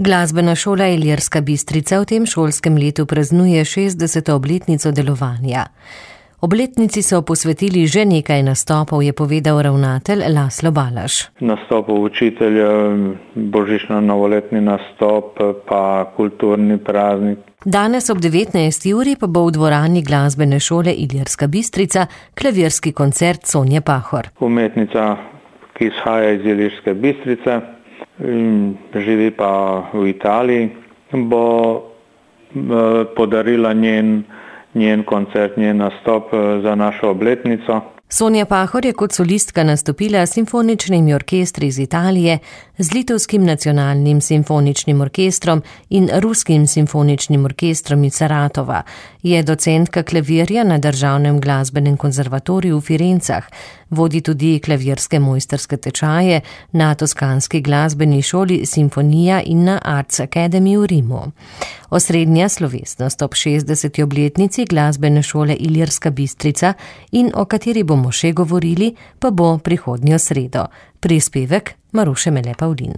Glasbena šola Ilirska Bistrica v tem šolskem letu praznuje 60. obletnico delovanja. Obletnici so posvetili že nekaj nastopov, je povedal ravnatelj Laslo Balaš. Nastopov učitelja, božično-novoletni nastop, pa kulturni praznik. Danes ob 19. uri pa bo v dvorani Glasbene šole Ilirska Bistrica klavirski koncert Sonje Pahor. Umetnica, ki izhaja iz Ilirske Bistrice, živi pa v Italiji, bo podarila njen koncert, njen nastop za našo obletnico. Sonja Pahor je kot solistka nastopila s simfoničnimi orkestri iz Italije, z Litovskim nacionalnim simfoničnim orkestrom in Ruskim simfoničnim orkestrom iz Saratova. Je docentka klavirja na Državnem glasbenem konzervatoriju v Firencah, vodi tudi klavirske mojstrske tečaje na Toskanski glasbeni šoli Simfonija in na Arts Academy v Rimu. Osrednja slovesnost ob 60. obletnici Glasbene šole Ilirska Bistrica in o kateri bomo še govorili, pa bo prihodnjo sredo. Prispevek Maruše Mele Pavlin.